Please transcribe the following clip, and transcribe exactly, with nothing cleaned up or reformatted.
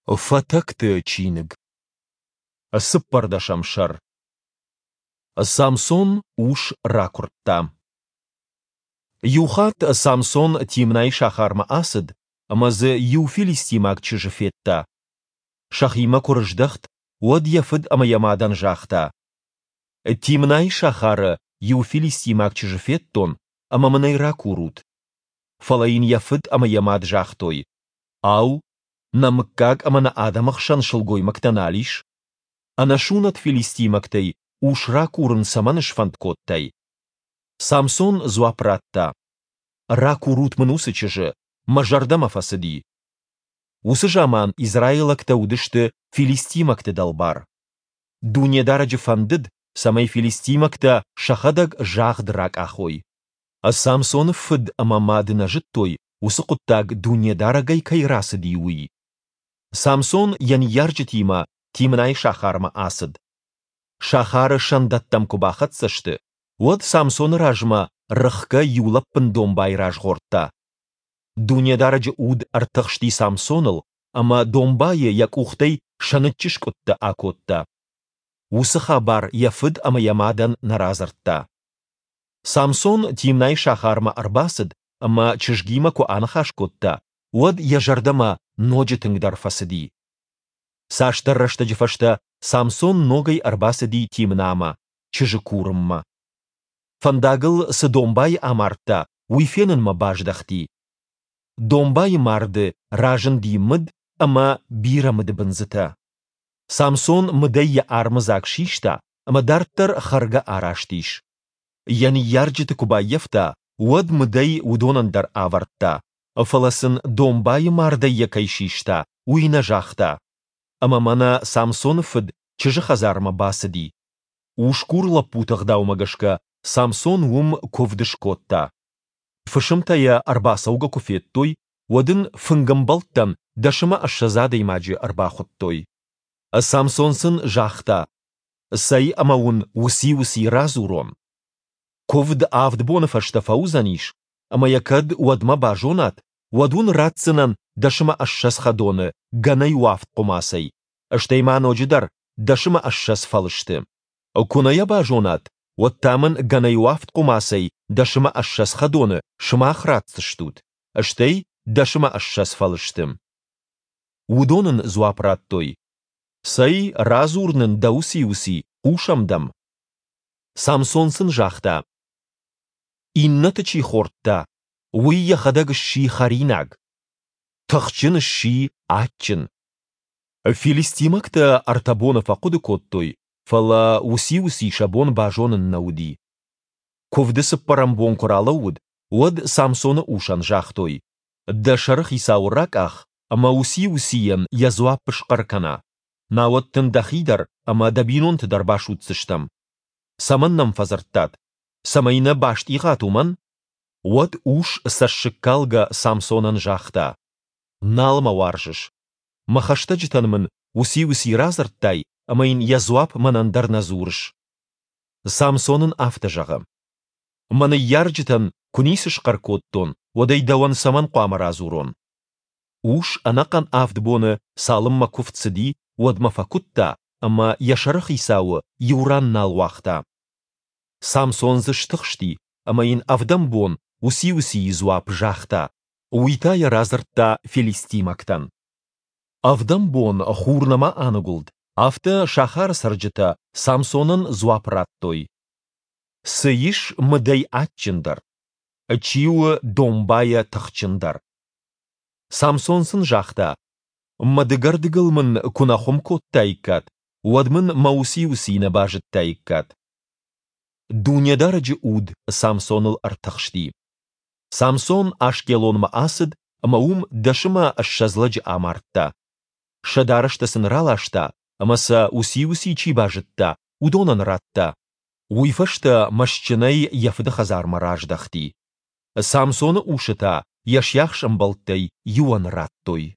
Фатӕгты чиныг. Цыппӕрдӕсӕм сӕр. Самсон ус ракуырдта. Иухатт Самсон Тимнайы сахармӕ ацыд ӕмӕ дзы иу филистимаг чызджы федта. Сӕхимӕ куы рыздӕхт, уӕд йӕ фыд ӕмӕ йӕ мадӕн загъта: «Тимнайы сахары иу филистимаг чызджы федтон, ӕмӕ мын ӕй ракурут». Фӕлӕ йын йӕ фыд ӕмӕ йӕ мад загътой: «Ау, нӕ мыггаг ӕмӕ нӕ адӕмы хсӕн сылгоймӕгтӕ нал ис? Ӕнӕсунӕт филистимӕгтӕй ус ракурын цӕмӕн сфӕнд кодтай?» Самсон дзуапп радта: «Ракурут мын уыцы чызджы, мӕ зӕрдӕмӕ фӕцыди». Уыцы заман израилӕгтӕ уыдысты филистимӕгты дӕлбар. Дунедарӕджы фӕндыд, цӕмӕй филистимӕгтӕ сӕхӕдӕг загъд ракъахой. Самсоны фыд ӕмӕ мад нӕ зыдтой, уыцы хъуыддаг Дунедарӕгӕй кӕй рацыди, уый. Самсон йӕ ныййарджытимӕ Тимнайы сахармӕ ацыд. Сахары сӕндӕттӕм куы бахӕццӕ сты, уӕд Самсоны размӕ рыхгӕ иу лӕппын домбай разгъордта. Дунедарӕджы уд ӕртыхсти Самсоныл, ӕмӕ домбайы йӕ къухтӕй сӕныччы скъуыдтӕ акодта. Уыцы хабар йӕ фыд ӕмӕ йӕ мадӕн нӕ радзырдта. Самсон Тимнайы сахармӕ ӕрбацыд ӕмӕ чызгимӕ куы аныхас кодта, уӕд йӕ зӕрдӕмӕ ноджы тынгдӕр фӕцыди. Цасдӕр рӕстӕджы фӕстӕ Самсон ногӕй ӕрбацыди Тимнамӕ, чызджы курынмӕ. Фӕндагыл цы домбайы амардта, уый фенынмӕ баздӕхти. Домбайы марды разынди мыд ӕмӕ бирӕ мыдыбындзытӕ. Самсон мыдӕй йӕ армыдзаг систа ӕмӕ дарддӕр хӕргӕ араст ис. Йӕ ныййарджыты куы баййӕфта, уӕд мыдӕй уыдонӕн дӕр авӕрдта, фӕлӕ сын домбайы мардӕй йӕ кӕй систа, уый нӕ загъта. Ӕмӕ мӕнӕ Самсоны фыд чызджы хӕдзармӕ бацыди. Усгур лӕппуты ӕгъдаумӕ гӕсгӕ Самсон уым куывд скодта. Фысымтӕ йӕ ӕрбацӕугӕ куы федтой, уӕд ын фынгӕмбӕлттӕн дӕс ӕмӕ ссӕдз адӕймаджы ӕрбахуыдтой. Самсон сын загъта: «Цӕй ӕмӕ уын уыци-уыци радзурон. Куывд авд боны фӕстӕ фӕуыдзӕнис, ӕмӕ йӕ кӕд уӕдмӕ базонат, уӕд уын ратдзынӕн дӕс ӕмӕ ссӕдз хӕдоны гӕнӕй уӕфт хъуымацӕй, стӕй ма ноджыдӕр дӕс ӕмӕ ссӕдз фӕлысты. Куы нӕ йӕ базонат, уӕд та мын гӕнӕй уӕфт хъуымацӕй дӕс ӕмӕ ссӕдз хӕдоны сымах ратдзыстут, стӕй дӕс ӕмӕ ссӕдз фӕлысты». Уыдон ын дзуапп радтой: «Цӕй, радзур нын дӕ уыци-уыци, хъусӕм дӕм». Самсон сын загъта: «Иннӕты чи хордта, уый йӕхӕдӕг сси хӕринаг. Тыхджын сси адджын». Филистимӕгтӕ ӕртӕ боны фӕхъуыды кодтой, фӕлӕ уыци-уыци сӕ бон базонын нӕ уыди. Куывды цыппӕрӕм бон куы ралӕууыд, уӕд Самсоны усӕн загътой: «Дӕ сӕрыхицауы ракъах, ӕмӕ уыци-уыцийӕн йӕ дзуапп схъӕр кӕна, науӕд дын дӕхи дӕр ӕмӕ дӕ бинонты дӕр басудздзыстӕм. Цӕмӕн нӕм фӕдзырдтат? Цӕмӕй нӕ бастъигъат, уымӕн?» Уӕд ус цӕссыгкалгӕ Самсонӕн загъта: «Нал мӕ уарзыс. Мӕ хӕстӕджытӕн мын уыци-уыци радзырдтай ӕмӕ йын йӕ дзуапп мӕнӕн дӕр нӕ дзурыс». Самсон ын афтӕ зӕгъы: «Мӕ ныййарджытӕн куы ницы схъӕр кодтон, уӕд ӕй дӕуӕн цӕмӕн хъуамӕ радзурон?» Ус ӕнӕхъӕн авд боны, цалынмӕ куывд цыди, уӕдмӕ фӕкуыдта ӕмӕ йӕ сӕрыхицауы иу ран нал уагъта. Самсон дзы стыхсти ӕмӕ йын ӕвдӕм бон уыци-уыцийы дзуапп загъта. Уый та йӕ радзырдта филистимӕгтӕн. Ӕвдӕм бон хур нӕма аныгуылд, афтӕ сахары цӕрджытӕ Самсонӕн дзуапп радтой: «Цы ис мыдӕй адджындӕр? Чи у домбайӕ тыхджындӕр?» Самсон сын загъта: «Мӕ дыгӕрдыгыл мын куы нӕ хуым кодтаиккат, уӕд мын мӕ уыци-уыци нӕ базыдтаиккат». Дунедарӕджы уд Самсоныл ӕртыхсти. Самсон Ашкелонмӕ ацыд ӕмӕ уым дӕс ӕмӕ ссӕдз лӕджы амардта. Сӕ дарӕстӕ сын раласта ӕмӕ сӕ уыци-уыци чи базыдта, уыдонӕн радта. Уый фӕстӕ мӕстджынӕй йӕ фыды хӕдзармӕ раздӕхти. Самсоны усы та йӕ сиахс ӕмбӕлттӕй иуӕн радтой.